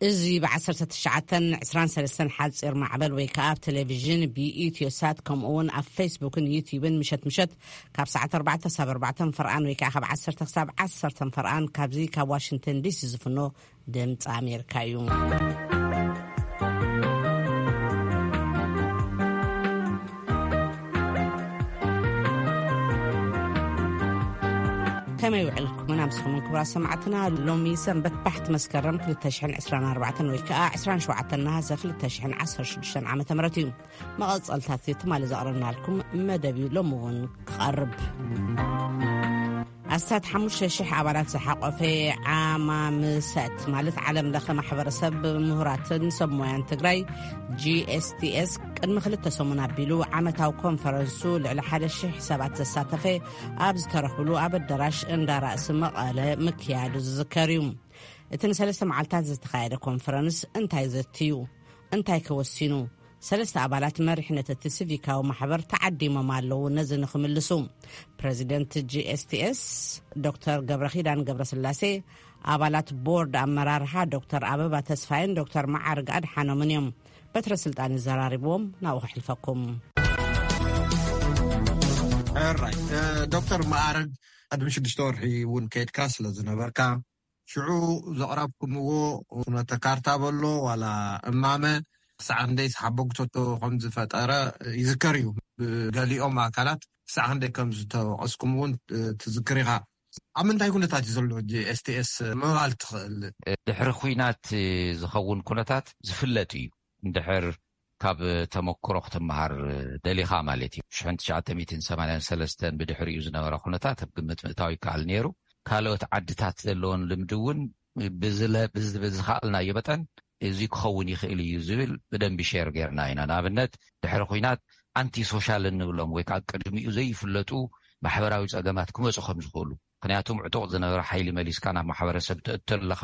እዚ ብ1923 ሓጺር ማዕበል ወይ ከኣ ኣብ ቴሌቪዥን ብኢትዮሳት ከምኡ እውን ኣብ ፌስቡክን ዩቲዩብን ምሸት ምሸት ካብ ሰዓት ኣርባዕተ ሳብ ኣርባዕተ ፈርቓን ወይ ከኣ ካብ ዓሰርተ ክሳብ ዓሰርተ ፈርቓን ካብዚ ካብ ዋሽንግተን ዲሲ ዝፍኖ ድምፂ ኣሜሪካ እዩ። ከመይ ውዕልኩም ኣምስኹምን ክቡራት ሰማዕትና? ሎሚ ሰንበት ባሕቲ መስከረም ክልተ ሽሕን ዕስራን ኣርባዕተን ወይ ከዓ ዕስራን ሸውዓተን ነሃሰ ክልተ ሽሕን ዓሰርተ ሽዱሽተን ዓመተ ምህረት እዩ። መቐጸልታት ትማሊ ዘቕረብናልኩም መደብ እዩ ሎሚ እውን ክቐርብ። ኣስታት ሓሙሽተ ሽሕ ኣባላት ዝሓቆፈ ዓማምሰት ማለት ዓለም ለኸ ማሕበረሰብ ምሁራትን ሰብ ሞያን ትግራይ፣ ጂ ኤስ ቲ ኤስ፣ ቅድሚ ክልተ ሰሙን ኣቢሉ ዓመታዊ ኮንፈረንሱ ልዕሊ ሓደ ሽሕ ሰባት ዘሳተፈ ኣብ ዝተረኽብሉ ኣብ ኣዳራሽ እንዳ ራእሲ መቐለ ምክያዱ ዝዝከር እዩ። እቲ ንሰለስተ መዓልታት ዝተኻየደ ኮንፈረንስ እንታይ ዘትዩ? እንታይ ከወሲኑ? ሰለስተ ኣባላት መሪሕነት እቲ ሲቪካዊ ማሕበር ተዓዲሞም ኣለዉ። ነዚ ንክምልሱ ፕሬዚደንት ጂ ኤስ ቲ ኤስ ዶክተር ገብረኺዳን ገብረስላሴ፣ ኣባላት ቦርድ ኣመራርሓ ዶክተር ኣበባ ተስፋይን ዶክተር መዓርግ ኣድሓኖምን እዮም። በትረ ስልጣን ይዘራርብዎም። ናብኡ ከሕልፈኩም። ራይ ዶክተር መዓርግ፣ ቅድሚ ሽዱሽተ ወርሒ እውን ከይድካ ስለ ዝነበርካ፣ ሽዑ ዘቕረብኩምዎ ፍኖተ ካርታ በሎ ዋላ እማመ ክሳዕ ክንደይ ሓበግቶቶ ከም ዝፈጠረ ይዝከር እዩ። ብገሊኦም ኣካላት ክሳዕ ክንደይ ከም ዝተወቐስኩም እውን ትዝክር ኢኻ። ኣብ ምንታይ ኩነታት እዩ ዘሎ ጂ ኤስ ቲ ኤስ ምባል ትኽእል? ድሕሪ ኲናት ዝኸውን ኩነታት ዝፍለጥ እዩ። እንድሕር ካብ ተመክሮ ክትመሃር ደሊኻ ማለት እዩ። ሽሕን ትሽዓተ ሚእትን ሰማንያን ሰለስተን ብድሕሪኡ ዝነበረ ኩነታት ኣብ ግምት ምእታው ይከኣል ነይሩ። ካልኦት ዓድታት ዘለዎን ልምዲ እውን ብዝለ-፣ ብዝ-፣ ብዝኸኣልናዮ መጠን እዚ ክኸውን ይኽእል እዩ ዝብል ብደንቢ ሼር ጌርና ኢና። ንኣብነት ድሕሪ ኲናት ኣንቲ ሶሻል እንብሎም ወይ ከዓ ቅድሚኡ ዘይፍለጡ ማሕበራዊ ጸገማት ክመጹ ከም ዝኽእሉ፣ ምኽንያቱም ዕጡቕ ዝነበረ ሓይሊ መሊስካ ናብ ማሕበረሰብ ትእቱ ኣለኻ።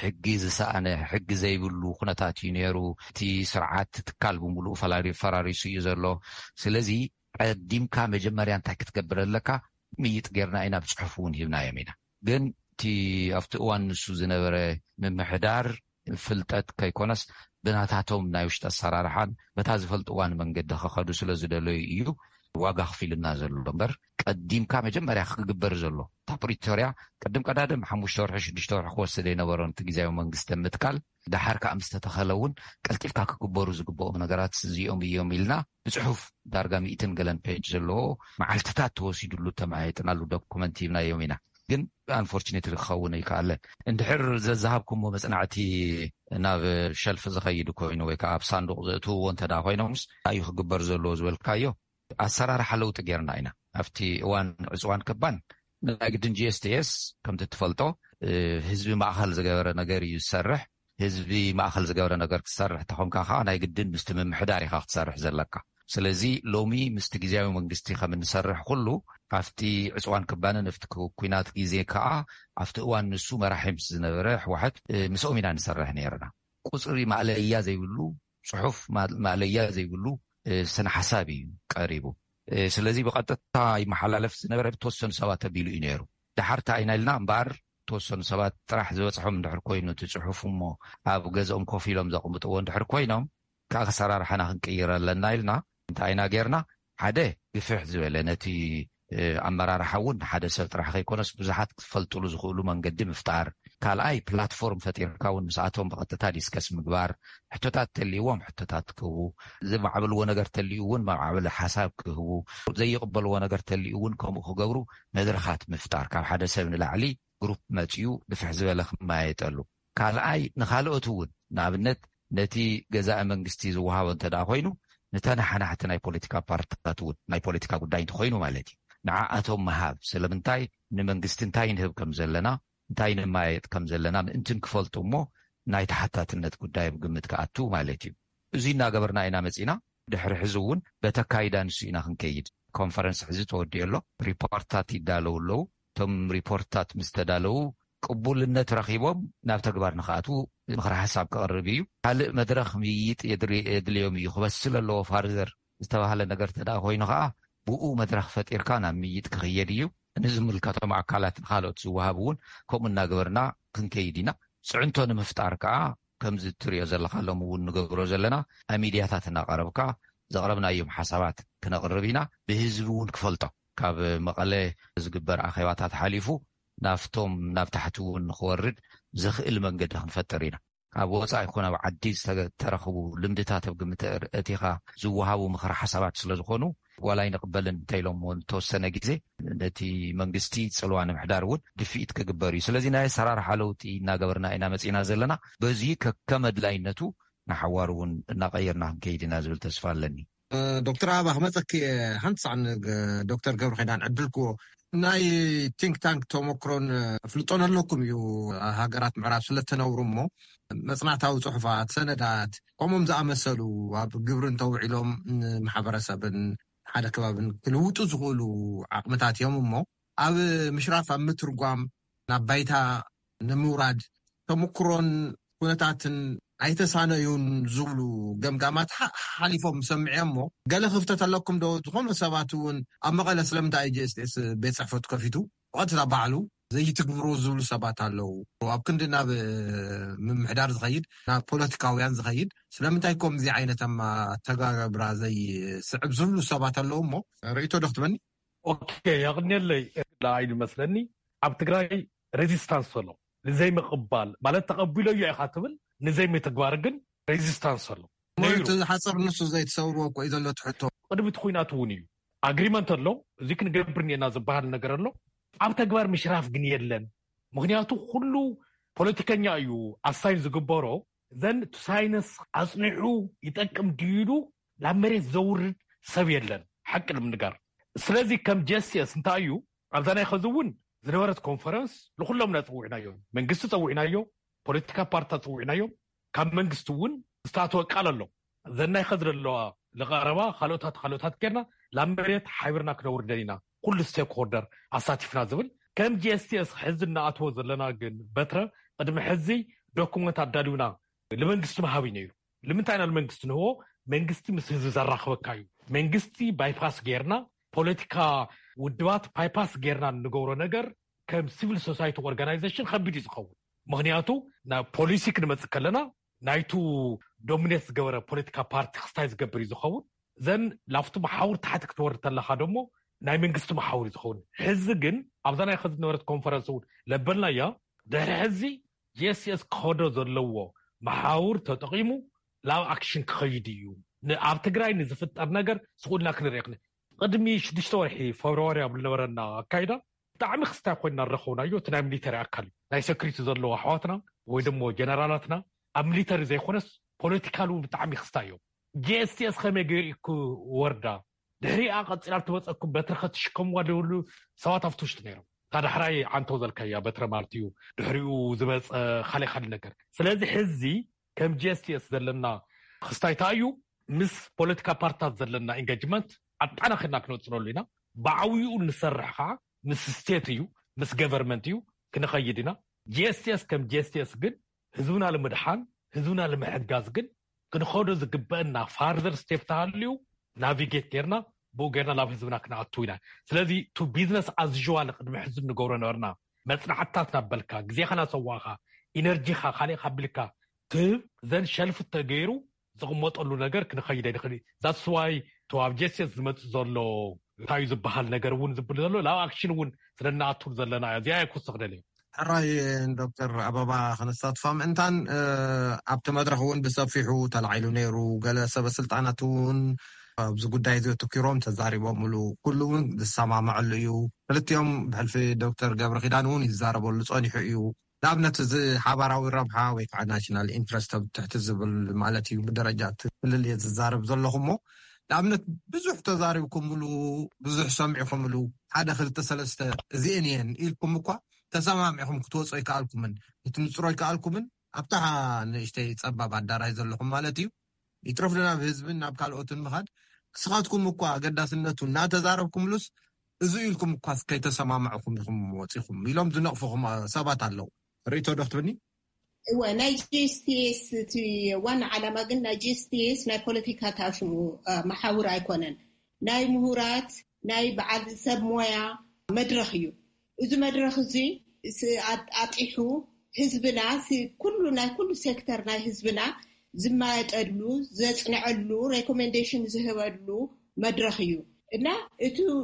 ሕጊ ዝሰኣነ፣ ሕጊ ዘይብሉ ኩነታት እዩ ነይሩ። እቲ ስርዓት ትካል ብምሉእ ፈላሪ-፣ ፈራሪሱ እዩ ዘሎ። ስለዚ ቀዲምካ መጀመርያ እንታይ ክትገብር ኣለካ? ምይጥ ጌርና ኢና፣ ብጽሑፍ እውን ሂብናዮም ኢና። ግን እቲ ኣብቲ እዋን ንሱ ዝነበረ ምምሕዳር ፍልጠት ከይኮነስ ብናታቶም ናይ ውሽጢ ኣሰራርሓን በታ ዝፈልጥዋን መንገዲ ክኸዱ ስለ ዝደለዩ እዩ ዋጋ ክፊልና ዘሎ እምበር፣ ቀዲምካ መጀመርያ ክግበር ዘሎ እታ ፕሪቶርያ ቅድም ቀዳድም ሓሙሽተ ወርሒ ሽዱሽተ ወርሒ ክወስድ የነበሮን እቲ ግዜያዊ መንግስቲ ምትካል፣ ደሓር ከዓ ምስ ተተኸለ እውን ቀልጢፍካ ክግበሩ ዝግብኦም ነገራት እዚኦም እዮም ኢልና ብፅሑፍ ዳርጋ ሚእትን ገለን ፔጅ ዘለዎ መዓልትታት ተወሲዱሉ ተመያይጥናሉ ዶኩመንት ሂብናዮም ኢና። ግን ኣንፎርቹኔትሊ ክኸውን ኣይከኣለን። እንድሕር ዘዝሃብኩሞ መጽናዕቲ ናብ ሸልፍ ዝኸይድ ኮይኑ ወይ ከዓ ኣብ ሳንዱቕ ዘእትውዎ እንተ ደኣ ኮይኖምስ፣ እንታይ እዩ ክግበር ዘለዎ ዝበልካዮ? ኣሰራርሓ ለውጢ ጌርና ኢና። ኣብቲ እዋን ዕፅዋን ክባን ናይ ግድን ጂ ኤስ ቲ ኤስ ከምቲ ትፈልጦ፣ እ፣ ህዝቢ ማእኸል ዝገበረ ነገር እዩ ዝሰርሕ። ህዝቢ ማእኸል ዝገበረ ነገር ክትሰርሕ ተኾንካ ከዓ ናይ ግድን ምስቲ ምምሕዳር ኢኻ ክትሰርሕ ዘለካ። ስለዚ ሎሚ ምስቲ ግዜያዊ መንግስቲ ከም እንሰርሕ ኩሉ፣ ኣብቲ ዕፅዋን ክባንን ኣብቲ ኩ-፣ ኩናት ግዜ ከዓ ኣብቲ እዋን ንሱ መራሒ ምስ ዝነበረ ህወሓት፣ እ፣ ምስኦም ኢና ንሰርሕ ነይርና። ቁፅሪ ማእለያ ዘይብሉ፣ ፅሑፍ ማ-፣ ማእለያ ዘይብሉ፣ እ፣ ስነ ሓሳብ እዩ ቀሪቡ። እ፣ ስለዚ ብቐጥታ ይመሓላለፍ ዝነበረ ብተወሰኑ ሰባት ተቢሉ እዩ ነይሩ። ደሓር እንታይ ኢና ኢልና እምበኣር፣ ተወሰኑ ሰባት ጥራሕ ዝበፅሖም እንድሕር ኮይኑ እቲ ፅሑፍ እሞ ኣብ ገዝኦም ኮፍ ኢሎም ዘቕምጥዎ እንድሕር ኮይኖም፣ ካብ ኣሰራርሓና ክንቅይር ኣለና ኢልና እንታይ ኢና ጌርና? ሓደ ግፍሕ ዝበለ ነቲ፣ እ፣ ኣመራርሓ እውን ሓደ ሰብ ጥራሕ ከይኮነስ ብዙሓት ክፈልጥሉ ዝኽእሉ መንገዲ ምፍጣር። ካልኣይ ፕላትፎርም ፈጢርካ እውን ምስኣቶም ብቐጥታ ዲስከስ ምግባር። ሕቶታት ተልይዎም ሕቶታት ክህቡ፣ ዝማዕበልዎ ነገር ተልዩ እውን ማዕበሊ ሓሳብ ክህቡ፣ ዘይቕበልዎ ነገር ተልዩ እውን ከምኡ ክገብሩ መድረኻት ምፍጣር። ካብ ሓደ ሰብ ንላዕሊ ግሩፕ መፅዩ ግፍሕ ዝበለ ክመያየጠሉ። ካልኣይ ንኻልኦት እውን ንኣብነት ነቲ ገዛኢ መንግስቲ ዝወሃቦ እንተ ደኣ ኮይኑ ንተነሓናሕቲ ናይ ፖለቲካ ፓርትታት እውን ናይ ፖለቲካ ጉዳይ እንተኾይኑ ማለት እዩ ንዓኣቶም ምሃብ። ስለምንታይ ንመንግስቲ እንታይ ንህብ ከም ዘለና እንታይ ንመያየጥ ከም ዘለና ምእንትን ክፈልጡ እሞ ናይ ተሓታትነት ጉዳይ ኣብ ግምት ክኣቱ ማለት እዩ። እዚ እናገበርና ኢና መፂና። ድሕሪ ሕዚ እውን በቲ ኣካይዳ ንሱ ኢና ክንከይድ። ኮንፈረንስ ሕዚ ተወዲኡ ኣሎ። ሪፖርታት ይዳለዉ ኣለዉ። እቶም ሪፖርታት ምስ ተዳለዉ ቅቡልነት ረኺቦም ናብ ተግባር ንኽኣትዉ ምኽሪ ሓሳብ ክቐርብ እዩ። ካልእ መድረኽ ምይይጥ የድሪ-፣ የድልዮም እዩ። ክበስል ኣለዎ ፋርዘር ዝተባህለ ነገር ተደኣ ኮይኑ ኸዓ ብኡ መድረኽ ፈጢርካ ናብ ምይይጥ ክኽየድ እዩ። ንዝምልከቶም ኣካላት ንኻልኦት ዝወሃብ እውን ከምኡ እናገበርና ክንከይድ ኢና። ፅዕንቶ ንምፍጣር ከዓ ከምዚ እትሪኦ ዘለካ ሎም እውን ንገብሮ ዘለና ኣብ ሚድያታት እናቐረብካ ዘቕረብናዮም ሓሳባት ክነቕርብ ኢና። ብህዝቢ እውን ክፈልጦ ካብ መቐለ ዝግበር ኣኼባታት ሓሊፉ ናብቶም ናብ ታሕቲ እውን ንክወርድ ዘኽእል መንገዲ ክንፈጥር ኢና። ኣብ ወፃኢ ይኹን ኣብ ዓዲ ዝተረኽቡ ልምድታት ኣብ ግምት እቲኻ ዝወሃቡ ምኽሪ ሓሳባት ስለዝኾኑ ዋላ ይንቕበልን እንተኢሎም እውን ተወሰነ ግዜ ነቲ መንግስቲ ፅልዋ ንምሕዳር እውን ድፍኢት ክግበር እዩ። ስለዚ ናይ ኣሰራርሓ ለውጢ እናገበርና ኢና መፂና ዘለና። በዚ ከከም ኣድላይነቱ ንሓዋሩ እውን እናቐየርና ክንከይድ ኢና ዝብል ተስፋ ኣለኒ። ዶክተር ኣበባ ክመፀኪ ሓንቲ ሳዕ ዶክተር ገብረ ኪዳን ዕድል ክዎ ናይ ቲንክ ታንክ ተመክሮን ፍልጦን ኣለኩም እዩ። ሃገራት ምዕራብ ስለተነብሩ እሞ መፅናዕታዊ ፅሑፋት፣ ሰነዳት ከምኦም ዝኣመሰሉ ኣብ ግብሪ እንተውዒሎም ንማሕበረሰብን ሓደ ከባብን ክልውጡ ዝኽእሉ ዓቕምታት እዮም እሞ ኣብ ምሽራፍ ኣብ ምትርጓም ናብ ባይታ ንምውራድ ተመክሮን ኩነታትን ኣይተሳነዩን ዝብሉ ገምጋማት ሓሊፎም ሰምዐ እሞ ገለ ክፍተት ኣለኩም ዶ? ዝኾኑ ሰባት እውን ኣብ መቐለ ስለምንታይ ጂ ኤስ ቲ ኤስ ቤት ፅሕፈቱ ከፊቱ ብቐጥታ ባዕሉ ዘይትግብሩ ዝብሉ ሰባት ኣለዉ። ኣብ ክንዲ ናብ ምምሕዳር ዝኸይድ ናብ ፖለቲካውያን ዝኸይድ ስለምንታይ ከምዚ ዓይነት ኣተጋገብራ ዘይስዕብ ዝብሉ ሰባት ኣለዉ እሞ ርእይቶ ዶ ክትበኒ? ኦኬ፣ የቕንየለይ። ንዓይ ዝመስለኒ ኣብ ትግራይ ሬዚስታንስ ዘሎ ንዘይምቕባል ማለት ተቐቢለዮ ኢኻ ትብል ንዘይምትግባር ግን ሬዚስታንስ ኣሎ። ሓፀር ንሱ ዘይተሰብርዎ እኮ እዩ ዘሎ ትሕቶ። ቅድሚ እቲ ኩናት እውን እዩ ኣግሪመንት ኣሎ፣ እዚ ክንገብር እኒአና ዝበሃል ነገር ኣሎ። ኣብ ተግባር ምሽራፍ ግን የለን። ምክንያቱ ኩሉ ፖለቲከኛ እዩ ኣሳይን ዝግበሮ። ዘን ሳይንስ ኣፅኒዑ ይጠቅም ድዩ ኢሉ ናብ መሬት ዘውርድ ሰብ የለን። ሓቂ ንምንጋር ስለዚ ከም ጂ ኤስ ቲ ኤስ እንታይ እዩ ኣብዛ ናይ ኸዚ እውን ዝነበረት ኮንፈረንስ ንኩሎም ኢና ፀዊዕናዮም። መንግስቲ ፀዊዕናዮ፣ ፖለቲካ ፓርቲታት ፀዊዕናዮም። ካብ መንግስቲ እውን ዝተኣተወ ቃል ኣሎ። ዘናይ ኸዚ ዘለዋ ለቐረባ ካልኦታት ካልኦታት ጌርና ላብ መሬት ሓቢርና ክነውርደን ኢና፣ ኩሉ ስቴክ ሆልደር ኣሳቲፍና ዝብል ከም ጂ ኤስ ቲ ኤስ ሕዚ እናኣትዎ ዘለና ግን በትረ ቅድሚ ሕዚ ዶኩመንት ኣዳልውና ንመንግስቲ ምሃብ እዩ ነይሩ። ንምንታይ ኢና ንመንግስቲ ንህቦ? መንግስቲ ምስ ህዝቢ ዘራኽበካ እዩ። መንግስቲ ባይፓስ ጌርና ፖለቲካ ውድባት ባይፓስ ጌርና እንገብሮ ነገር ከም ሲቪል ሶሳይቲ ኦርጋናይዜሽን ከቢድ እዩ ዝኸውን። ምክንያቱ ናብ ፖሊሲ ክንመፅእ ከለና ናይቱ ዶሚኔት ዝገበረ ፖለቲካ ፓርቲ ክስታይ ዝገብር እዩ ዝኸውን። ዘን ላፍቱ መሓውር ታሕቲ ክትወርድ ተለካ ደሞ ናይ መንግስቲ መሓውር እዩ ዝኸውን። ሕዚ ግን ኣብዛ ናይ ከዚ ዝነበረት ኮንፈረንስ እውን ለበልናያ ድሕሪ ሕዚ ጂ ኤስ ቲ ኤስ ክኸዶ ዘለዎ መሓውር ተጠቂሙ ላብ ኣክሽን ክኸይድ እዩ። ኣብ ትግራይ ንዝፍጠር ነገር ስቁልና ክንርኢ ክን ቅድሚ ሽዱሽተ ወርሒ ፈብርዋሪ ኣብ ዝነበረና ኣካይዳ ብጣዕሚ ክስታይ ኮይና ዝረኸብናዮ እቲ ናይ ሚሊተሪ ኣካል እዩ። ናይ ሰክሪቲ ዘለዎ ኣሕዋትና ወይ ደሞ ጀነራላትና ኣብ ሚሊተሪ ዘይኮነስ ፖለቲካል እውን ብጣዕሚ ክስታይ እዮም። ጂ ኤስ ቲ ኤስ ከመይ ገይሩ እዩ ክወርዳ? ድሕሪኣ ቀፂላ ትመፀኩም በትሪ ከትሽከምዋ ዝብሉ ሰባት ኣብቲ ውሽጢ ነይሮም። እታ ዳሕራይ ዓንተው ዘልካያ በትረ ማለት እዩ። ድሕሪኡ ዝመፀ ካልእ ካልእ ነገር። ስለዚ ሕዚ ከም ጂ ኤስ ቲ ኤስ ዘለና ክስታይታ እዩ ምስ ፖለቲካ ፓርታት ዘለና ኢንጋጅመንት ኣጣናኺርና ክንወፅነሉ ኢና። ብዓብይኡ ንሰርሕ ከዓ ምስ ስቴት እዩ ምስ ገቨርንመንት እዩ ክንኸይድ ኢና። ጂ ኤስ ቲ ኤስ ከም ጂ ኤስ ቲ ኤስ ግን ህዝብና ንምድሓን ህዝብና ንምሕጋዝ ግን ክንኸዶ ዝግበአና ፋርዘር ስቴፕ ተሃልዩ ናቪጌት ጌርና ብኡ ጌርና ናብ ህዝብና ክንኣቱ ኢና። ስለዚ ቱ ቢዝነስ ኣዝዋል ቅድሚ ሕዚ ንገብሮ ነበርና። መፅናዕትታት ናበልካ ግዜኻ ናሰዋእካ ኢነርጂኻ ካልእካ ቢልካ ትህብ ዘን ሸልፍ ተገይሩ ዝቕመጠሉ ነገር ክንኸይደ ንኽእል። ዛትስዋይ ቱ ኣብ ጀስቲስ ዝመፅእ ዘሎ እንታይ እዩ ዝበሃል ነገር እውን ዝብል ዘሎ ናብ ኣክሽን እውን ስለናኣቱር ዘለና እያ። እዚኣ እየ ክውስኽ ደልየ። ሕራይ ዶክተር ኣበባ ክነሳትፋ ምእንታን ኣብቲ መድረኽ እውን ብሰፊሑ ተላዒሉ ነይሩ። ገለ ሰበ ስልጣናት እውን ኣብዚ ጉዳይ እዚ ኣተኪሮም ተዛሪቦምሉ። ኩሉ እውን ዝሰማምዐሉ እዩ። ክልቲኦም ብሕልፊ ዶክተር ገብረ ኪዳን እውን ይዛረበሉ ፀኒሑ እዩ። ንኣብነት እዚ ሓባራዊ ረብሓ ወይ ከዓ ናሽናል ኢንትረስት ኣብ ትሕቲ ዝብል ማለት እዩ። ብደረጃ እቲ ክልል እየ ዝዛረብ ዘለኹ እሞ ንኣብነት ብዙሕ ተዛሪብኩምሉ፣ ብዙሕ ሰሚዕኩምሉ፣ ሓደ ክልተ ሰለስተ እዚኤን እየን ኢልኩም እኳ ተሰማሚዕኩም ክትወፁ ኣይከኣልኩምን፣ ክትንፅሮ ኣይከኣልኩምን። ኣብታ ንእሽተይ ፀባብ ኣዳራሽ ዘለኹም ማለት እዩ። ይትረፍ ናብ ህዝብን ናብ ካልኦትን ምኻድ ክስኻትኩም እኳ ኣገዳስነቱ እናተዛረብኩምሉስ እዚ ኢልኩም እኳ ከይተሰማማዕኩም ኢኹም ወፂኹም ኢሎም ዝነቕፉኹም ሰባት ኣለዉ። ርእይቶ ዶ ክትብኒ? እወ፣ ናይ ጂ ኤስ ቲ ኤስ እቲ ዋና ዓላማ ግን ናይ ጂ ኤስ ቲ ኤስ ናይ ፖለቲካ ታሽሙ መሓውር ኣይኮነን። ናይ ምሁራት ናይ በዓል ሰብ ሞያ መድረኽ እዩ። እዚ መድረኽ እዚ ኣጢሑ ህዝብና ኩሉ ናይ ኩሉ ሴክተር ናይ ህዝብና ዝማየጠሉ ዘፅንዐሉ ሬኮሜንዴሽን ዝህበሉ መድረክ እዩ። እና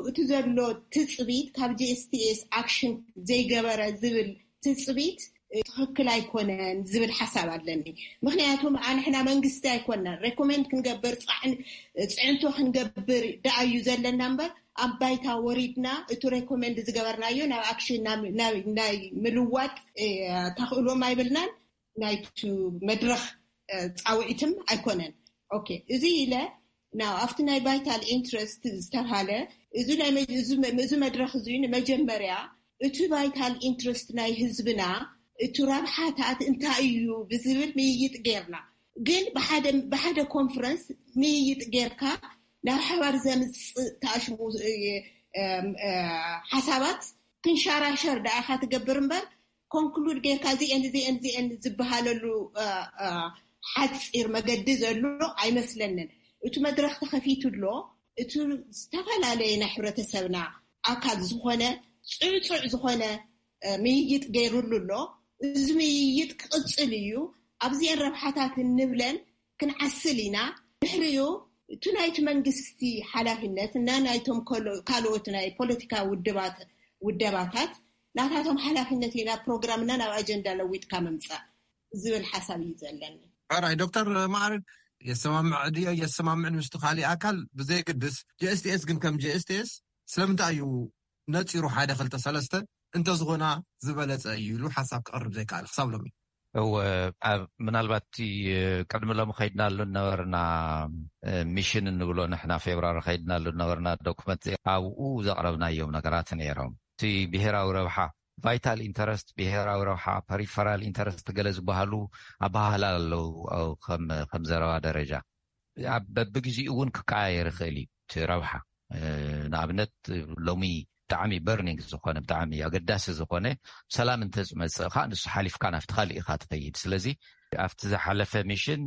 እቲ ዘሎ ትፅቢት ካብ ጂኤስቲኤስ ኣክሽን ዘይገበረ ዝብል ትፅቢት ትኽክል ኣይኮነን ዝብል ሓሳብ ኣለኒ። ምክንያቱ ንሕና መንግስቲ ኣይኮነን ሬኮሜንድ ክንገብር ፅዕንቶ ክንገብር ደኣዩ ዘለና እምበር ኣብ ባይታ ወሪድና እቲ ሬኮሜንድ ዝገበርናዮ ናብ ኣክሽን ናይ ምልዋጥ ተኽእሎም ኣይብልናን። ናይቲ መድረኽ ፃውዒትም ኣይኮነን። ኦኬ፣ እዚ ኢለ ናው ኣብቲ ናይ ቫይታል ኢንትረስት ዝተባሃለ እዚ እዚ መድረኽ እዚ ንመጀመርያ እቲ ቫይታል ኢንትረስት ናይ ህዝብና እቲ ረብሓታት እንታይ እዩ ብዝብል ምይይጥ ጌርና። ግን ብሓደ ኮንፈረንስ ምይይጥ ጌርካ ናብ ሓባር ዘምፅእ ተኣሽሙ ሓሳባት ክንሻራሸር ደኣኻ ትገብር እምበር ኮንክሉድ ጌርካ ዚኤን ዚኤን ዚኤን ዝበሃለሉ ሓፂር መገዲ ዘሎ ኣይመስለንን። እቲ መድረክ ተኸፊቱ ኣሎ። እቲ ዝተፈላለየ ናይ ሕብረተሰብና ኣካል ዝኾነ ፅዕፁዕ ዝኾነ ምይይጥ ገይሩሉ ኣሎ። እዚ ምይይጥ ክቕፅል እዩ። ኣብዚኤን ረብሓታት እንብለን ክንዓስል ኢና። ድሕሪኡ እቲ ናይቲ መንግስቲ ሓላፍነት እና ናይቶም ካልኦት ናይ ፖለቲካ ውድባታት ናታቶም ሓላፍነት ኢና ፕሮግራምና ናብ ኣጀንዳ ለዊጥካ ምምፃእ ዝብል ሓሳብ እዩ ዘለኒ። ራይ ዶክተር ማዕርግ የሰማምዕ ድዮ የሰማምዕ ንስቲ ካሊእ ኣካል ብዘይግድስ ጂኤስቲኤስ ግን ከም ጂኤስቲኤስ ስለምንታይ እዩ ነፂሩ ሓደ ክልተ ሰለስተ እንተዝኾና ዝበለፀ እዩ ኢሉ ሓሳብ ክቐርብ ዘይከኣል ክሳብ ሎሚ። እወ፣ ምናልባት ቅድሚ ሎሚ ከይድናሉ ነበርና ሚሽን እንብሎ ንሕና ፌብራሪ ከይድናሉ ነበርና ዶክመንት ኣብኡ ዘቕረብናዮም ነገራት ነይሮም። እቲ ብሄራዊ ረብሓ ቫይታል ኢንተረስት ብሄራዊ ረብሓ ፐሪፈራል ኢንተረስት ገለ ዝበሃሉ ኣበሃህላ ኣለዉ። ከም ዘረባ ደረጃ በብግዜኡ እውን ክቀያየር ይኽእል እዩ እቲ ረብሓ። ንኣብነት ሎሚ ብጣዕሚ በርኒንግ ዝኾነ ብጣዕሚ ኣገዳሲ ዝኾነ ሰላም እንተዝመፅእ ከዓ ንሱ ሓሊፍካ ናብቲ ካሊእ ኢኻ ትኸይድ። ስለዚ ኣብቲ ዝሓለፈ ሚሽን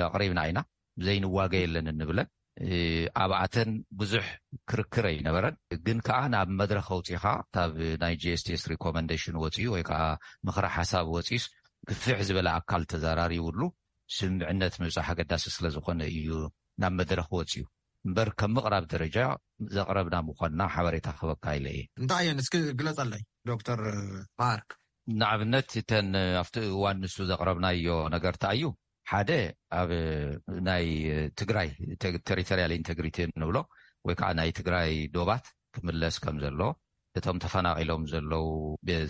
ኣቕሪብና ኢና ዘይንዋገ የለን እንብለን ኣብኣተን ብዙሕ ክርክር ኣይነበረን። ግን ከዓ ናብ መድረክ ኣውፂኻ ካብ ናይ ጂኤስቲኤስ ሪኮመንዴሽን ወፂኡ ወይ ከዓ ምኽሪ ሓሳብ ወፂኡስ ግፍሕ ዝበለ ኣካል ተዘራሪቡሉ ስምምዕነት ምብፃሕ ኣገዳሲ ስለዝኾነ እዩ ናብ መድረክ ወፂኡ እምበር ከም ምቕራብ ደረጃ ዘቕረብና ምዃንና ሓበሬታ ክህበካ ኢለ እየ። እንታይ እየን እስኪ ግለፀለይ ዶክተር ማርክ። ንኣብነት እተን ኣብቲ እዋን ንሱ ዘቕረብናዮ ነገር እንታይ እዩ? ሓደ ኣብ ናይ ትግራይ ቴሪቶሪያል ኢንቴግሪቲ እንብሎ ወይ ከዓ ናይ ትግራይ ዶባት ክምለስ ከም ዘሎ እቶም ተፈናቒሎም ዘለዉ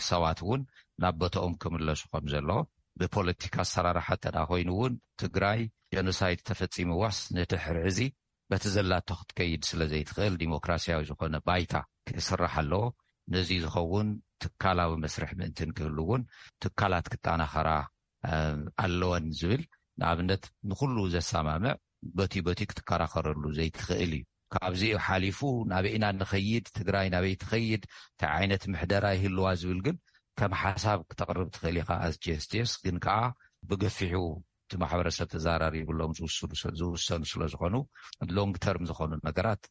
ሰባት እውን ናብ ቦታኦም ክምለሱ ከም ዘለዎ ብፖለቲካ ኣሰራርሓ እንተ ኮይኑ እውን ትግራይ ጀኖሳይድ ተፈፂምዋስ ንድሕሪ እዚ በቲ ዘላቶ ክትከይድ ስለ ዘይትኽእል ዲሞክራሲያዊ ዝኾነ ባይታ ክስራሕ ኣለዎ። ነዚ ዝኸውን ትካላዊ መስርሕ ምእንትን ክህሉ እውን ትካላት ክጠናኸራ ኣለወን ዝብል ንኣብነት ንኩሉ ዘሰማምዕ በቲ በቲ ክትከራኸረሉ ዘይትኽእል እዩ። ካብዚኡ ሓሊፉ ናበይ ኢና ንኸይድ፣ ትግራይ ናበይ ትኸይድ፣ እንታይ ዓይነት ምሕደራ ይህልዋ ዝብል ግን ከም ሓሳብ ክተቕርብ ትኽእል ኢኻ። ኣስ ጀስቲስ ግን ከዓ ብገፊሑ እቲ ማሕበረሰብ ተዘራሪብሎም ዝውሰኑ ስለዝኾኑ ሎንግ ተርም ዝኾኑ ነገራት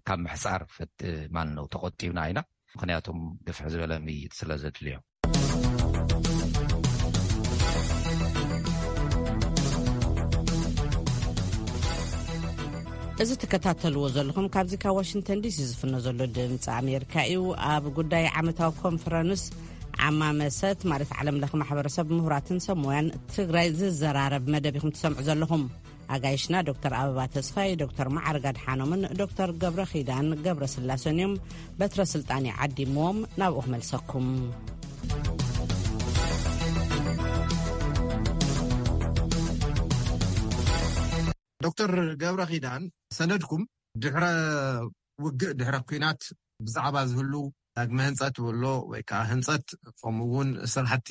ካብ ምሕፃር ማን ነው ተቆጢብና ኢና። ምክንያቱም ግፍሕ ዝበለ ምይይጥ ስለ ዘድልዮ። እዚ ትከታተልዎ ዘለኹም ካብዚ ካብ ዋሽንግተን ዲሲ ዝፍኖ ዘሎ ድምፂ ኣሜሪካ እዩ። ኣብ ጉዳይ ዓመታዊ ኮንፈረንስ ዓማመሰት ማለት ዓለም ለኸ ማሕበረሰብ ምሁራትን ሰብ ሞያን ትግራይ ዝዘራረብ መደብ ኢኹም ትሰምዑ ዘለኹም። ኣጋይሽና ዶክተር ኣበባ ተስፋይ፣ ዶክተር መዓርግ ኣድሓኖምን ዶክተር ገብረ ኺዳን ገብረ ስላሰን እዮም። በትረ ስልጣን ይዓዲምዎም ናብኡ ክመልሰኩም። ዶክተር ገብረ ኺዳን ሰነድኩም ድሕረ ውግእ ድሕረ ኩናት ብዛዕባ ዝህሉ ዳግመ ህንፀት ወሎ ወይ ከዓ ህንፀት ከምኡ እውን ስራሕቲ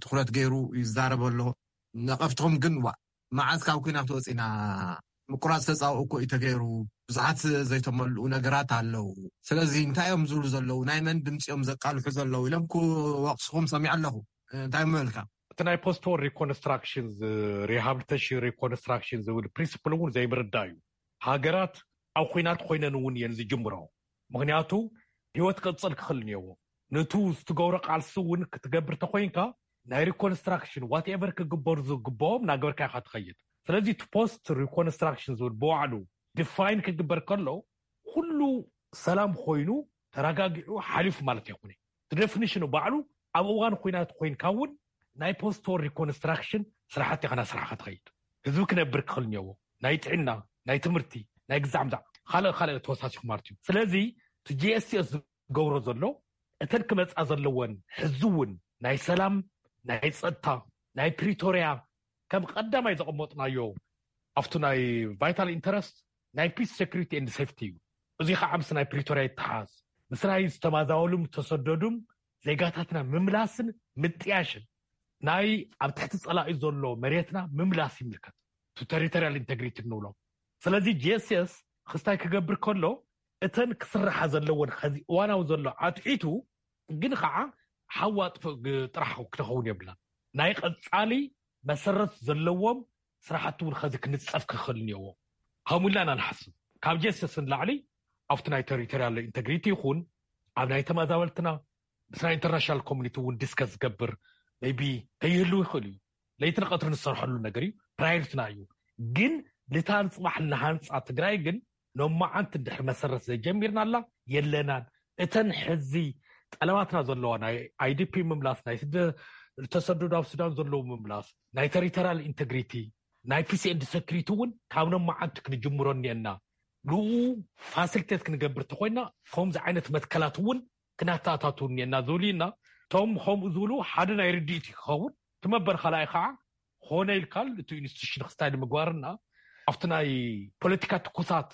ትኩረት ገይሩ ይዛረብ ኣሎ። ነቐፍትኹም ግን ዋ መዓዝ ካብ ኩናት ወፂና ምቁራፅ ተፃውኦ እኮ እዩ ተገይሩ። ብዙሓት ዘይተመልኡ ነገራት ኣለዉ። ስለዚ እንታይ እዮም ዝብሉ ዘለዉ ናይ መን ድምፂ እዮም ዘቃልሑ ዘለዉ ኢሎም ክወቕስኹም ሰሚዐ ኣለኹ። እንታይ ምበልካ? እቲ ናይ ፖስት ዎር ሪኮንስትራክሽን ሪሃብሊቴሽን ሪኮንስትራክሽን ዝብል ፕሪንስፕል እውን ዘይምርዳእ እዩ። ሃገራት ኣብ ኩናት ኮይነን እውን እየን ዝጅምሮ። ምክንያቱ ህይወት ክቅፅል ክኽእል እኒኦዎ። ነቱ ዝትገብሮ ቃልሲ እውን ክትገብር ተኮይንካ ናይ reconstruction whatever ክግበሩ ዝግብኦም እናገበርካ ኢኻ ትኸይድ። ስለዚ እቲ post reconstruction ዝብል ብባዕሉ define ክግበር ከሎ ኩሉ ሰላም ኮይኑ ተረጋጊዑ ሓሊፉ ማለት ኣይኮነ። እቲ definition ባዕሉ ኣብ እዋን ኩናት ኮይንካ እውን ናይ post war reconstruction ስራሕቲ ኢኻ እናሰራሕካ ትኸይድ። ህዝቢ ክነብር ክኽእል እኒኦዎ፣ ናይ ጥዕና፣ ናይ ትምህርቲ፣ ናይ ግዛዕ ምዛዕ፣ ካልእ ካልእ ተወሳሲኹ ማለት እዩ። ስለዚ እቲ GSS ዝገብሮ ዘሎ እተን ክመፃ ዘለወን ሕዚ እውን ናይ ሰላም፣ ናይ ፀጥታ፣ ናይ ፕሪቶርያ ከም ቀዳማይ ዘቐመጥናዮ ኣብቲ ናይ vital interest ናይ peace, security and safety እዩ። እዚ ከዓ ምስ ናይ ፕሪቶርያ ይተሓዝ። ምስ ናይ ዝተማዛበሉም ዝተሰደዱም ዜጋታትና ምምላስን ምጥያሽን ናይ ኣብ ትሕቲ ፀላኢ ዘሎ መሬትና ምምላስ ይምልከት። እቲ territorial integrity ንብሎ። ስለዚ GSS ክስታይ ክገብር ከሎ እተን ክስራሓ ዘለወን ኸዚ እዋናዊ ዘሎ ኣትሒቱ ግን ከዓ ሓዋ ጥፍእ ግ- ጥራሕ ክኸውን የብላን። ናይ ቀፃሊ መሰረት ዘለዎም ስራሕቲ እውን ኸዚ ክንፀፍ ክኽእል እኒኦዎ። ከምኡ ኢልና ኢና ንሓስብ። ካብ GSS ንላዕሊ ኣብቲ ናይ territorial integrity ይኹን ኣብ ናይ ተመዛበልትና ምስ ናይ international community እውን discuss ዝገብር maybe ከይህልው ይኽእል እዩ። ለይትን ቀትርን ዝሰርሐሉ ነገር እዩ፣ priority ና እዩ። ግን ልታ ንፅባሕ ንሃንፃ ትግራይ ግን ኖማዓንቲ ድሕሪ መሰረት ዘይጀሚርና ኣላ የለናን። እተን ሕዚ ጠለባትና ዘለዋ ናይ IDP ምምላስ፣ ናይ ስደ ተሰደዱ ኣብ ሱዳን ዘለዉ ምምላስ፣ ናይ territorial integrity፣ ናይ peace and security እውን ካብ ኖማዓንቲ ክንጅምሮ እኒአና። ንኡ facilitate ክንገብር ተኮይና ከምዚ ዓይነት መትከላት እውን ክናተኣታቱ እኒአና ዝብሉ ኢና። እቶም ከምኡ ዝብሉ ሓደ ናይ ርድኢት እዩ ክኸውን። እቲ መበል ካልኣይ ከዓ ኾነ ኢልካል እቲ ኢንስቲቱሽን ክስታይ ንምግባርና ኣብቲ ናይ ፖለቲካ ትኩሳት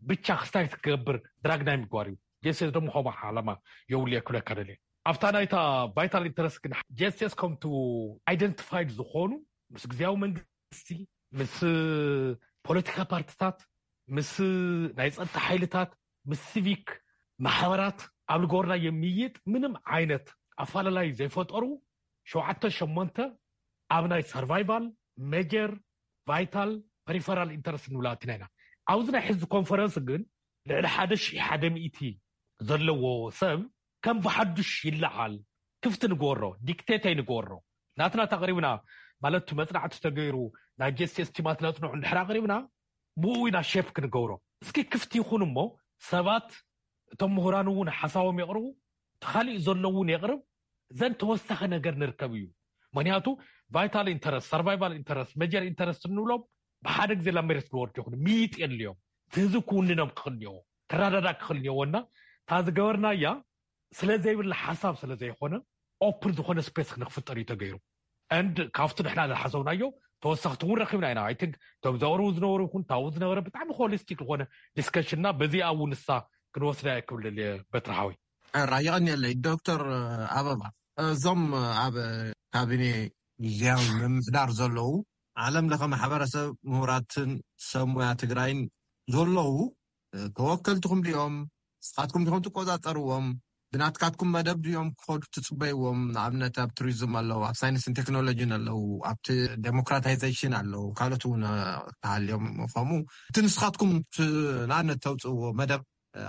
ብቻ ክስታይ ክትገብር ድራግ ናይ ምግባር እዩ። ጀስስ ደሞ ከምኡ ዓላማ የብሉ እየ ክብለካ ደልየ። ኣብታ ናይታ vital interest ግን ጀስስ ከምቲ identified ዝኾኑ ምስ ግዜያዊ መንግስቲ፣ ምስ ፖለቲካ ፓርቲታት፣ ምስ ናይ ፀጥታ ሓይልታት፣ ምስ ሲቪክ ማሕበራት ኣብ ልገበርና የሚይጥ ምንም ዓይነት ኣፋላላይ ዘይፈጠሩ ሸውዓተ ሸሞንተ ኣብ ናይ survival፣ major፣ vital፣ peripheral interest ንብላ ኣቲና ኢና። ኣብዚ ናይ ሕዚ ኮንፈረንስ ግን ልዕሊ ሓደ ሺሕ ሓደ ሚእቲ ዘለዎ ሰብ ከም ብሓዱሽ ይለዓል። ክፍቲ ንግበሮ፣ dictate ኣይንግበሮ። ናትና ተቕሪብና ማለት መፅናዕቲ ተገይሩ ናይ ጀስስ ቲማት ነፅንዑ እንድሕር ኣቕሪብና ብኡ ኢና ሼፕ ክንገብሮ። እስኪ ክፍቲ ይኹን እሞ ሰባት እቶም ምሁራን እውን ሓሳቦም የቕርቡ፣ ተኻሊኡ ዘሎ እውን የቕርብ። ዘን ተወሳኺ ነገር ንርከብ እዩ። ምክንያቱ vital interest፣ survival interest፣ major interest እንብሎም ብሓደ ግዜ ላብ መሬት ዝወርዱ ይኹን ሚጥ የድልዮም። እቲ ህዝቢ ክውንኖም ክኽእል እኒኦዎ፣ ክረዳዳእ ክኽእል እኒኦዎ እና እታ ዝገበርናያ ስለ ዘይብላ ሓሳብ ስለ ዘይኮነ ኦፕን ዝኾነ ስፔስ ክንክፍጠር እዩ ተገይሩ። And ካብቲ ንሕና ዝሓሰብናዮ ተወሰኽቲ እውን ረኪብና ኢና። I think እቶም ዘቕርቡ ዝነበሩ ይኹን ታቡ ዝነበረ ብጣዕሚ ሆሊስቲክ ዝኾነ ዲስከሽን እና በዚኣ እውን ንሳ ክንወስዳ እየ ክብል ደልየ በትሪ ሓወይ። ራይ የቐንየለይ። ዶክተር ኣበባ፣ እዞም ኣብ ካቢኔ ግዜያዊ ምምሕዳር ዘለዉ ዓለም ለኸ ማሕበረሰብ ምሁራትን ሰብ ሞያ ትግራይን ዘለዉ ተወከልትኹም ድዮም? ንስኻትኩም ዲኹም ትቆፃፀርዎም? ብናትካትኩም መደብ ድዮም ክኸዱ ትፅበይዎም? ንኣብነት ኣብ ቱሪዝም ኣለዉ፣ ኣብ ሳይንስን ቴክኖሎጂን ኣለዉ፣ ኣብቲ ዴሞክራታይዜሽን ኣለዉ፣ ካልኦት እውን ክሃልዮም። ከምኡ እቲ ንስኻትኩም ት- ንኣብነት ተውፅእዎ መደብ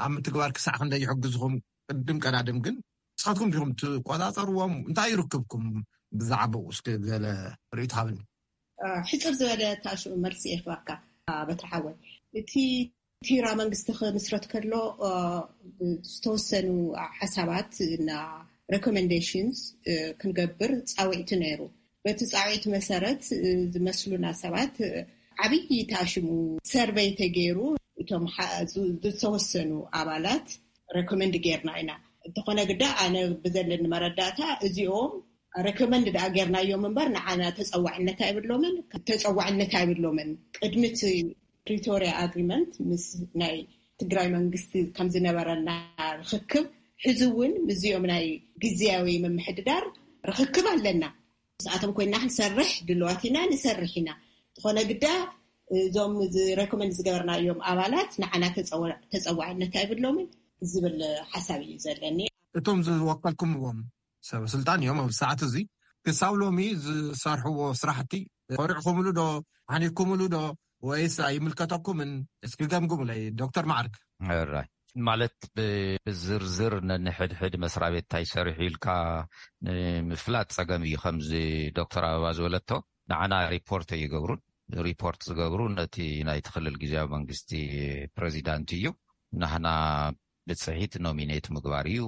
ኣብ ምትግባር ክሳዕ ክንደይ ይሕግዝኹም? ቅድም ቀዳድም ግን ንስኻትኩም ዲኹም ትቆፃፀርዎም? እንታይ ይርክብኩም? ብዛዕባኡ እስኪ ገለ ርእይቶ ሃብኒ። ሕፅር ዝበለ ታሽኡ መልሲ የኽባካ በትሪ ሓወይ። እቲ ቲራ መንግስቲ ክምስረት ከሎ ዝተወሰኑ ሓሳባት እና ሬኮሜንዴሽንስ ክንገብር ፃውዒቲ ነይሩ። በቲ ፃውዒት መሰረት ዝመስሉና ሰባት ዓብዪ ታሽሙ ሰርቨይ ተገይሩ እቶም ዝተወሰኑ ኣባላት ሬኮመንድ ጌርና ኢና። እንተኾነ ግዳ ኣነ ብዘለኒ መረዳእታ እዚኦም ሬኮመንድ ደኣ ጌርናዮም እምበር ንዓና ተፀዋዕነት ኣይብሎምን። ተፀዋዕነት ኣይብሎምን። ቅድሚ እቲ ፕሪቶሪያ ኣግሪመንት ምስ ናይ ትግራይ መንግስቲ ከም ዝነበረና ርኽክብ ሕዚ እውን ምስዚኦም ናይ ግዝያዊ ምምሕድዳር ርኽክብ ኣለና። ምስኣቶም ኮይና ክንሰርሕ ድልዋት ኢና፣ ንሰርሕ ኢና። ዝኾነ ግዳ እዞም ሬኮመንድ ዝገበርናዮም ኣባላት ንዓና ተፀዋዕነት ኣይብሎምን ዝብል ሓሳብ እዩ ዘለኒ። እቶም ዝወከልኩምዎም ሰብ ስልጣን እዮም ኣብዚ ሰዓት እዚ ክሳብ ሎሚ ዝሰርሕዎ ስራሕቲ ኮሪዕኩምሉ ዶ? ሓኒኩምሉ ዶ? ወይስ ኣይምልከተኩምን? እስኪ ገምግሙለይ ዶክተር ማዕርግ። ራይ ማለት ብ- ብዝርዝር ነንሕድሕድ መስሪያ ቤት እንታይ ሰሪሑ ኢልካ ንምፍላጥ ጸገም እዩ። ከምዚ ዶክተር ኣበባ ዝበለቶ ንዓና ሪፖርት ኣይገብሩን። ሪፖርት ዝገብሩ ነቲ ናይቲ ክልል ግዜያዊ መንግስቲ ፕሬዚዳንት እዩ። ናህና ብጽሒት ኖሚኔት ምግባር እዩ።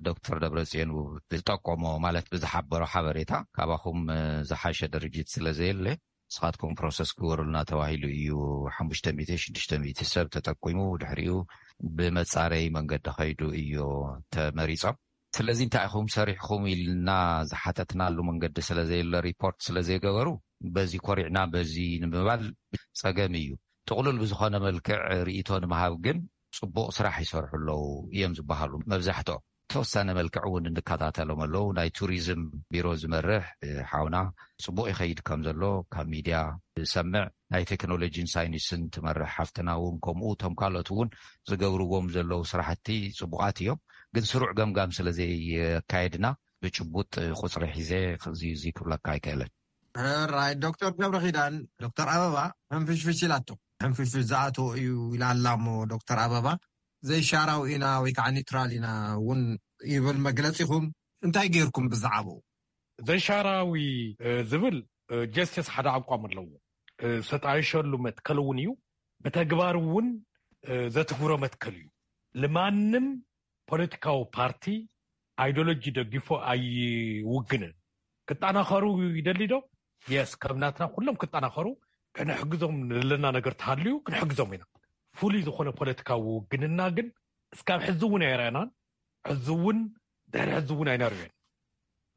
ዶክተር ደብረጽዮን ዝጠቆሞ ማለት ብዝሓበሮ ሓበሬታ ካባኹም ዝሓሸ ድርጅት ስለ ዘየለ ንስኻትኩም ፕሮሰስ ግበሩልና ተባሂሉ እዩ። ሓሙሽተ ሚእቲ ሽዱሽተ ሚእቲ ሰብ ተጠቂሙ ድሕሪኡ ብመጻረይ መንገዲ ከይዱ እዩ ተመሪጾም። ስለዚ እንታይ ኢኹም ሰሪሕኹም ኢልና ዝሓተትናሉ መንገዲ ስለ ዘየለ ሪፖርት ስለ ዘይገበሩ በዚ ኮሪዕና በዚ ንምባል ጸገም እዩ። ጥቕሉል ብዝኾነ መልክዕ ርእይቶ ንምሃብ ግን ጽቡቕ ስራሕ ይሰርሑ ኣለዉ እዮም ዝበሃሉ መብዛሕትኦም። ተወሳነ መልክዕ እውን እንከታተሎም ኣለዉ። ናይ ቱሪዝም ቢሮ ዝመርሕ ሓውና ጽቡቕ ይኸይድ ከም ዘሎ ካብ ሚድያ ዝሰምዕ፣ ናይ ቴክኖሎጂን ሳይንስን ትመርሕ ሓፍትና እውን ከምኡ፣ እቶም ካልኦት እውን ዝገብርዎም ዘለዉ ስራሕቲ ጽቡቓት እዮም። ግን ስሩዕ ገምጋም ስለ ዘየካየድና ብጭቡጥ ቁፅሪ ሒዘ እዚ ክብለካ ኣይክእልን። ራይ ዶክተር ገብረኺዳን፣ ዶክተር ኣበባ ሕንፍሽፍሽ ኢላቶ። ሕንፍሽፍሽ ዝኣቶ እዩ ኢላ ኣላ እሞ ዶክተር ኣበባ ዘይሻራዊ ኢና ወይ ከዓ ኒውትራል ኢና እውን ይብል መግለፂኹም። እንታይ ገይርኩም ብዛዕባኡ? ዘይሻራዊ ዝብል ጀስቲስ ሓደ ኣቋም ኣለዎ። ሰጣይሸሉ መትከል እውን እዩ። ብተግባር እውን ዘትግብሮ መትከል እዩ። ልማንም ፖለቲካዊ ፓርቲ ኣይዲዮሎጂ ደጊፎ ኣይውግንን። ክጠናኸሩ ይደሊ ዶ? የስ፣ ከም ናትና ኩሎም ክጠናኸሩ ክንሕግዞም ዘለና ነገር ተሃልዩ ክንሕግዞም ኢና። ፍሉይ ዝኾነ ፖለቲካዊ ውግንና ግን እስካብ ሕዚ እውን ኣይረኣናን። ሕዚ እውን ድሕሪ ሕዚ እውን ኣይነርእዮን።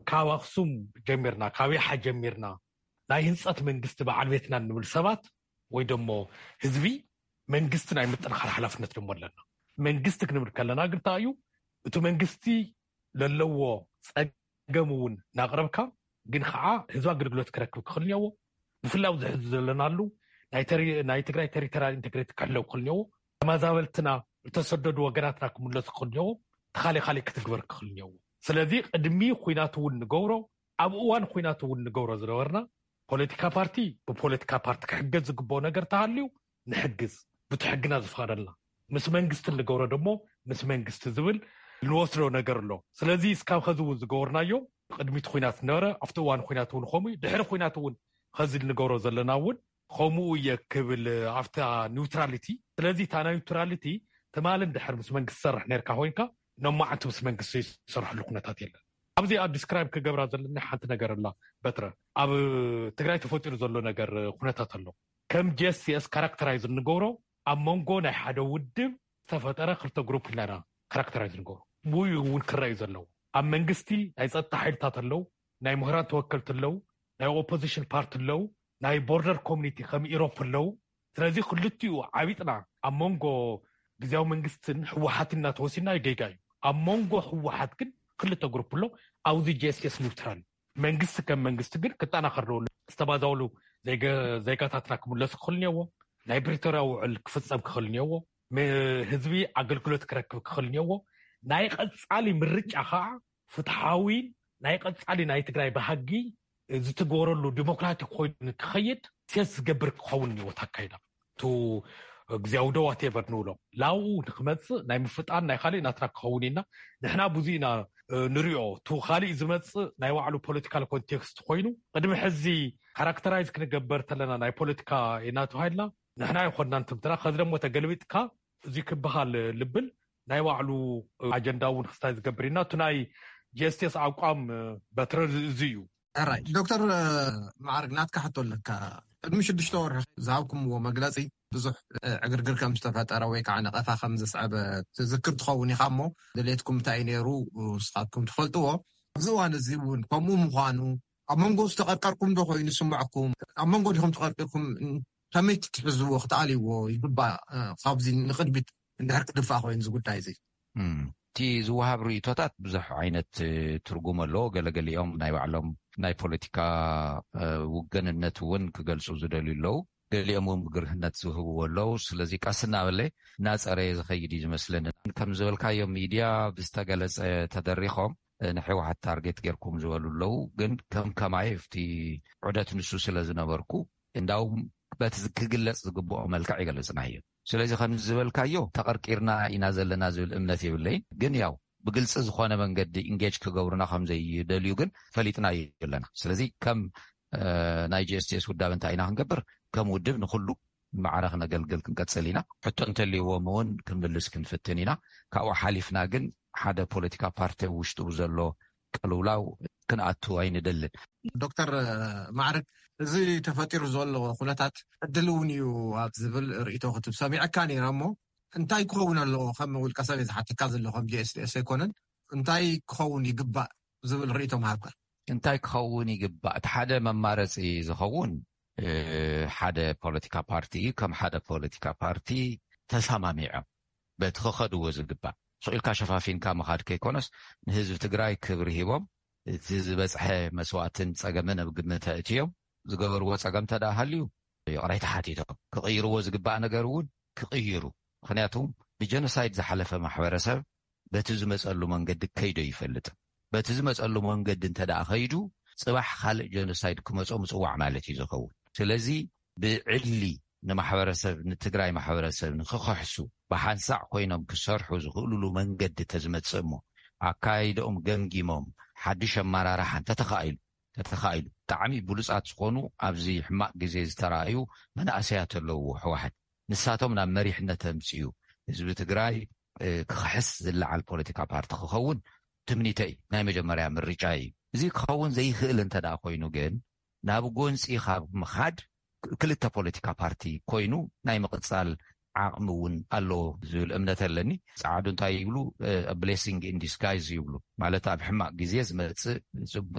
ካብ ኣክሱም ጀሚርና፣ ካብ ያሓ ጀሚርና ናይ ህንፀት መንግስቲ በዓል ቤትና እንብል ሰባት ወይ ደሞ ህዝቢ መንግስቲ ናይ ምጥንኻር ሓላፍነት ደሞ ኣለና። መንግስቲ ክንብል ከለና ግን እንታይ እዩ እቲ መንግስቲ ለለዎ ጸገም እውን እናቕረብካ ግን ከዓ ህዝቢ ኣገልግሎት ክረክብ ክኽእል እኒአዎ። ብፍላይ ኣብዚ ሕዚ ዘለናሉ ናይ ተሪ- ናይ ትግራይ ቴሪቶሪያል ኢንቴግሪቲ ክሕለው ክኽእል እኒአዎ። ተመዛበልትና ዝተሰደዱ ወገናትና ክምለሱ ክኽእል እኒአዎ። ተኻሊ ካሊእ ክትግበር ክኽእል እኒአዎ። ስለዚ ቅድሚ ኩናት እውን ንገብሮ ኣብ እዋን ኩናት እውን ንገብሮ ዝነበርና ፖለቲካ ፓርቲ ብፖለቲካ ፓርቲ ክሕገዝ ዝግብኦ ነገር ተሃልዩ ንሕግዝ ብቲ ሕግና ዝፈቐደልና ምስ መንግስቲ እንገብሮ ደሞ ምስ መንግስቲ ዝብል እንወስዶ ነገር ኣሎ። ስለዚ እስካብ ኸዚ እውን ዝገበርናዮ ቅድሚቲ ኩናት ነበረ ኣብቲ እዋን ኩናት እውን ከምኡ እዩ ድሕሪ ኩናት እውን ኸዚ እንገብሮ ዘለና እውን ከምኡ እየ ክብል ኣብታ ኒውትራሊቲ። ስለዚ እታ ናይ ኒውትራሊቲ ትማልን ድሕር ምስ መንግስቲ ትሰርሕ ነርካ ኮይንካ ኖማዓንቲ ምስ መንግስቲ ዝሰርሕሉ ኩነታት የለን። ኣብዚ ኣብ ዲስክራይብ ክገብራ ዘለኒ ሓንቲ ነገር ኣላ። በትረ ኣብ ትግራይ ተፈጢሩ ዘሎ ነገር ኩነታት ኣሎ። ከም jescs ካራክተራይዝ እንገብሮ ኣብ መንጎ ናይ ሓደ ውድብ ዝተፈጠረ ክልተ ግሩፕ ኢልና ኢና ካራክተራይዝ ንገብሮ። ውይ እውን ክረኣዩ ዘለዉ ኣብ መንግስቲ ናይ ፀጥታ ሓይልታት ኣለዉ፣ ናይ ምሁራን ተወከልቲ ኣለዉ፣ ናይ ኦፖዚሽን ፓርቲ ኣለዉ፣ ናይ ቦርደር ኮሚኒቲ ከም ኢሮፕ ኣለዉ። ስለዚ ክልቲኡ ዓቢጥና ኣብ መንጎ ግዜያዊ መንግስትን ህወሓትን እናተወሲና ጌጋ እዩ። ኣብ መንጎ ህወሓት ግን ክልተ ግሩፕ ኣሎ። ኣብዚ jescs ኒውትራል መንግስቲ ከም መንግስቲ ግን ክጠናኸር ኣለዎ። ዝተባዛውሉ ዜጋታትና ክምለሱ ክኽእል እኒአዎ። ናይ ፕሪቶርያ ውዕል ክፍፀም ክኽእል እኒአዎ። ህዝቢ ኣገልግሎት ክረክብ ክኽእል እኒአዎ። ናይ ቀፃሊ ምርጫ ከዓ ፍትሓዊን ናይ ቀፃሊ ናይ ትግራይ ባህጊ ዝትግበረሉ ዲሞክራቲክ ኮይኑ ክኸይድ ሴት ዝገብር ክኸውን እኒዎ ታካይዳ ቱ ግዜያዊ ዶ ዋቴቨር ንብሎ ላውኡ ንክመፅእ ናይ ምፍጣን ናይ ካሊእ ናትና ክኸውን ኢና። ንሕና ብዙ ኢና ንሪኦ ቱ ካሊእ ዝመፅእ ናይ ባዕሉ ፖለቲካል ኮንቴክስት ኮይኑ ቅድሚ ሕዚ ካራክተራይዝ ክንገበር ተለና ናይ ፖለቲካ ኢና ተባሂልና ንሕና ይኮንና ንትምትና ከዚ ደሞ ተገልቢጥካ እዚ ክበሃል ልብል ናይ ባዕሉ ኣጀንዳ እውን ክስታይ ዝገብር ኢና። እቲ ናይ jescs ኣቋም በትረ እዚ እዩ። ራይ ዶክተር ማዕርግ ናትካ ሕቶ ኣለካ። ቅድሚ ሽዱሽተ ወርሒ ዝሃብኩምዎ መግለፂ ብዙሕ ዕግርግር ከም ዝተፈጠረ ወይ ከዓ ነቐፋ ከም ዘስዐበ ትዝክር ትኸውን ኢኻ እሞ ድሌትኩም እንታይ ነይሩ ንስኻትኩም ትፈልጥዎ። ኣብዚ እዋን እዚ እውን ከምኡ ምዃኑ ኣብ መንጎ ዝተቐርቀርኩም ዶ ኮይኑ ዝስምዐኩም? ኣብ መንጎ ዲኹም ተቐርቂርኩም? ከመይ ትትሕዝዎ ክትኣልይዎ ይግባእ። ካብዚ ንቕድሚት እንድሕር ክድፋእ ኮይኑ እዚ ጉዳይ እዚ እቲ ዝወሃብ ርእቶታት ብዙሕ ዓይነት ትርጉም ኣለዎ። ገለገሊኦም ናይ ባዕሎም ናይ ፖለቲካ ውገንነት እውን ክገልፁ ዝደልዩ ኣለዉ። ገሊኦም እውን ብግርህነት ዝህብዎ ኣለዉ። ስለዚ ቀስ እናበለ እናፀረየ ዝኸይድ እዩ ዝመስለኒ። ከም ዝበልካዮ ሚድያ ብዝተገለፀ ተደሪኾም ንሕወሓት ታርጌት ጌርኩም ዝበሉ ኣለዉ። ግን ከም ከማይ ኣብቲ ዑደት ንሱ ስለ ዝነበርኩ እንዳውም በቲ ክግለፅ ዝግብኦ መልክዕ ይገልፅናዮ። ስለዚ ከም ዝበልካዮ ተቐርቂርና ኢና ዘለና ዝብል እምነት የብለይን። ግን ያው ብግልፂ ዝኾነ መንገዲ ኢንጌጅ ክገብሩና ከም ዘይደልዩ ግን ፈሊጥናዮ ኣለና። ስለዚ ከም ናይ ጂ ኤስ ቲ ኤስ ውዳበ እንታይ ኢና ክንገብር፣ ከም ውድብ ንኩሉ ማዕረ ክነገልግል ክንቀፅል ኢና። ሕቶ እንተልይዎም እውን ክንምልስ ክንፍትን ኢና። ካብኡ ሓሊፍና ግን ሓደ ፖለቲካ ፓርቲ ውሽጡ ዘሎ ቅልውላው ክንኣቱ ኣይንደልን። ዶክተር ማዕርግ፣ እዚ ተፈጢሩ ዘሎ ኩነታት ዕድል እውን እዩ ኣብ ዝብል ርእይቶ ክትብ ሰሚዐካ ነይረ። እሞ እንታይ ክኸውን ኣለዎ? ከም ውልቀ ሰብ ዝሓተካ ዘሎ ከም ጂ ኤስ ቲ ኤስ ኣይኮነን፣ እንታይ ክኸውን ይግባእ ዝብል ርእይቶ ምሃብካ። እንታይ ክኸውን ይግባእ? እቲ ሓደ መማረፂ ዝኸውን ሓደ ፖለቲካ ፓርቲ እዩ። ከም ሓደ ፖለቲካ ፓርቲ ተሰማሚዖም በቲ ክኸድዎ ዝግባእ፣ ስቕ ኢልካ ሸፋፊንካ ምኻድ ከይኮነስ፣ ንህዝቢ ትግራይ ክብሪ ሂቦም፣ እቲ ዝበፅሐ መስዋእትን ፀገምን ኣብ ግምት ኣእትዮም ዝገበርዎ ፀገም ተደኣ ሃልዩ ይቕሬታ ሓቲቶም፣ ክቕይርዎ ዝግባእ ነገር እውን ክቕይሩ። ምክንያቱ ብጀኖሳይድ ዝሓለፈ ማሕበረሰብ በቲ ዝመፀሉ መንገዲ ከይዶ ይፈልጥ። በቲ ዝመፀሉ መንገዲ እንተ ደኣ ከይዱ፣ ፅባሕ ካልእ ጀኖሳይድ ክመፆ ምፅዋዕ ማለት እዩ ዝኸውን። ስለዚ ብዕሊ ንማሕበረሰብ፣ ንትግራይ ማሕበረሰብ ንክኸሕሱ፣ ብሓንሳዕ ኮይኖም ክሰርሑ ዝኽእሉሉ መንገዲ ተዝመፅእ እሞ፣ ኣካይደኦም ገምጊሞም ሓድሽ ኣመራርሓ እንተተኻኢሉ፣ ተተኻኢሉ፣ ብጣዕሚ ብሉፃት ዝኾኑ ኣብዚ ሕማቕ ግዜ ዝተራእዩ መናእሰያት ኣለውዎ ህወሓት። ንሳቶም ናብ መሪሕነት ተምፅኡ፣ ህዝቢ ትግራይ ክኽሕስ ዝለዓል ፖለቲካ ፓርቲ ክኸውን ትምኒተይ፣ ናይ መጀመርያ ምርጫ እዩ። እዚ ክኸውን ዘይኽእል እንተ ደኣ ኮይኑ ግን፣ ናብ ጎንፂ ካብ ምኻድ ክልተ ፖለቲካ ፓርቲ ኮይኑ ናይ ምቕፃል ዓቕሚ እውን ኣለዎ ዝብል እምነት ኣለኒ። ፃዓዱ እንታይ ይብሉ? ብሌሲንግ ኢን ዲስጋይዝ ይብሉ፣ ማለት ኣብ ሕማቕ ግዜ ዝመፅእ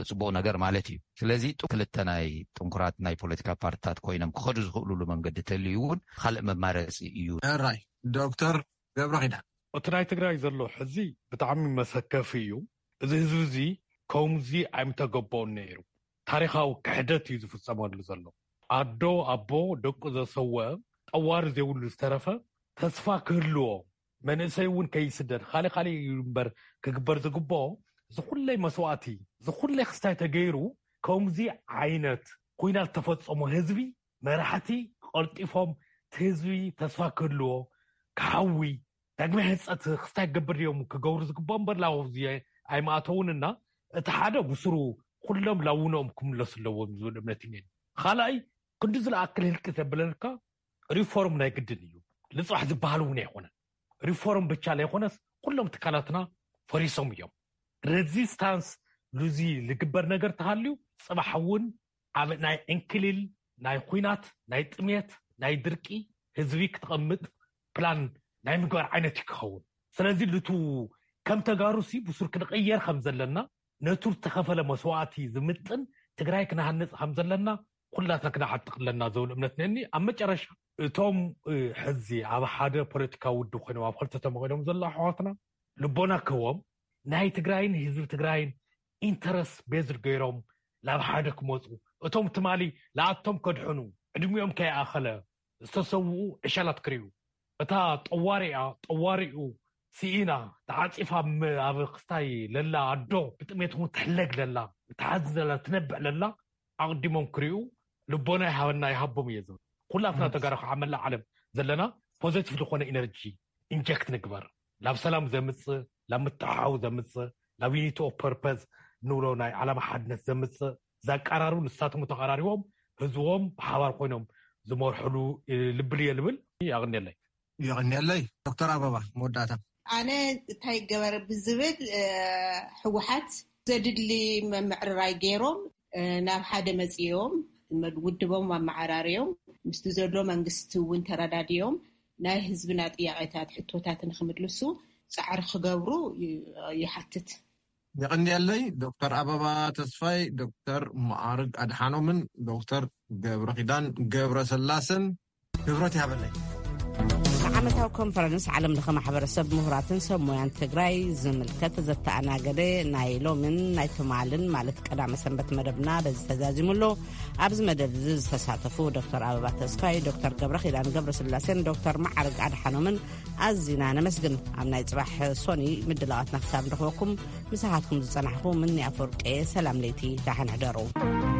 ፅቡቕ ነገር ማለት እዩ። ስለዚ ክልተ ናይ ጥንኩራት ናይ ፖለቲካ ፓርትታት ኮይኖም ክኸዱ ዝኽእሉሉ መንገዲ ተልዩ እውን ካልእ መማረፂ እዩ። ራይ ዶክተር ገብረ ኪዳን፣ እቲ ናይ ትግራይ ዘሎ ሕዚ ብጣዕሚ መሰከፊ እዩ። እዚ ህዝቢ እዚ ከምዚ ኣይምተገበኦን ነይሩ። ታሪኻዊ ክሕደት እዩ ዝፍፀመሉ ዘሎ። ኣዶ ኣቦ ደቁ ዘሰወ፣ ጠዋሪ ዘይብሉ ዝተረፈ፣ ተስፋ ክህልዎ፣ መንእሰይ እውን ከይስደድ፣ ካልእ ካልእ እዩ እምበር ክግበር ዝግብኦ፣ ዝኹለይ መስዋእቲ፣ ዝኹለይ ክስታይ ተገይሩ፣ ከምዚ ዓይነት ኩናት ተፈጸሞ ህዝቢ፣ መራሕቲ ቀልጢፎም እቲ ህዝቢ ተስፋ ክህልዎ፣ ክሓዊ፣ ዳግመ ህንፀት ክስታይ ክገብር እዮም ክገብሩ ዝግብኦም እምበር ላው እዚ ኣይማእተውንና፣ እቲ ሓደ ብስሩ ኩሎም ላውኖም ክምለሱ ኣለዎም ዝብል እምነት እዩ። ካልኣይ ክንዲ ዝለኣክል ህልቂ ዘብለልካ ሪፎርም ናይ ግድን እዩ። ልፅባሕ ዝበሃል እውን ኣይኮነን። ሪፎርም ብቻ ዘይኮነስ ኩሎም ትካላትና ፈሪሶም እዮም። ሬዚስታንስ ሉዚ ዝግበር ነገር ተሃልዩ ፅባሕ እውን ኣብ ናይ ዕንክሊል ናይ ኩናት ናይ ጥሜት ናይ ድርቂ ህዝቢ ክትቐምጥ ፕላን ናይ ምግባር ዓይነት እዩ ክኸውን። ስለዚ ልቱ ከም ተጋሩሲ ብሱር ክንቕየር ከም ዘለና ነቱ ዝተኸፈለ መስዋእቲ ዝምጥን ትግራይ ክንሃንፅ ከም ዘለና ኩላትና ክነዓጥቕ ኣለና ዝብል እምነት ነኒ። ኣብ መጨረሻ እቶም ሕዚ ኣብ ሓደ ፖለቲካዊ ውድብ ኮይኖም ኣብ ክልተ ተመቂሎም ዘለዉ ኣሕዋትና ልቦና ክህቦም ናይ ትግራይን ህዝቢ ትግራይን ኢንተረስት ቤዝድ ገይሮም ናብ ሓደ ክመፁ፣ እቶም ትማሊ ንኣቶም ከድሕኑ ዕድሚኦም ከይኣኸለ ዝተሰውኡ ዕሸላት ክርእዩ፣ እታ ጠዋሪኣ ጠዋሪኡ ስኢና ተዓፂፋ ኣብ ክስታይ ለላ ኣዶ ብጥሜት እውን ትሕለግ ለላ፣ ብተሓዚ ዘላ ትነብዕ ለላ ኣቕዲሞም ክርእዩ ልቦና ይሃበና ይሃቦም እየ ዝብል። ኩላትና ተጋሩ ከዓ መላእ ዓለም ዘለና ፖዘቲቭ ዝኾነ ኢነርጂ ኢንጀክት ንግበር። ናብ ሰላም ዘምፅእ፣ ናብ ምትሕሓው ዘምፅእ፣ ናብ ዩኒቲ ኦፍ ፐርፐዝ ንብሎ ናይ ዓላማ ሓድነት ዘምፅእ ዘቃራርቡ ንሳቶም ተቐራሪቦም ህዝቦም ብሓባር ኮይኖም ዝመርሕሉ ልብል እየ ልብል። የቕንየለይ። የቕንየለይ። ዶክተር ኣበባ መወዳእታ። ኣነ እንታይ ገበር ብዝብል ህወሓት ዘድሊ መምዕርራይ ገይሮም ናብ ሓደ መፅኦም ውድቦም ኣመዓራርዮም ምስቲ ዘሎ መንግስቲ እውን ተረዳድዮም ናይ ህዝብና ጥያቄታት ሕቶታት ንክምልሱ ፃዕሪ ክገብሩ ይሓትት። የቐንየለይ ዶክተር ኣበባ ተስፋይ፣ ዶክተር መዓርግ ኣድሓኖምን ዶክተር ገብረ ኪዳን ገብረ ስላሰን ክብረት ይሃበለይ። ንዓመታዊ ኮንፈረንስ ዓለም ለኸ ማሕበረሰብ ምሁራትን ሰብ ሞያን ትግራይ ዝምልከት ዘተኣናገደ ናይ ሎምን ናይ ትማልን ማለት ቀዳመ ሰንበት መደብና በዚ ተዛዚሙ ኣሎ። ኣብዚ መደብ እዚ ዝተሳተፉ ዶክተር ኣበባ ተስፋይ፣ ዶክተር ገብረ ኪዳን ገብረ ስላሴን ዶክተር መዓርግ ኣድሓኖምን ኣዚና ነመስግን። ኣብ ናይ ፅባሕ ሶኒ ምድላዋትና ክሳብ ንረኽበኩም ምሳኻትኩም ዝፀናሕኹ ምኒ ኣፈወርቂ፣ ሰላም ለይቲ፣ ዳሓን ሕደሩ።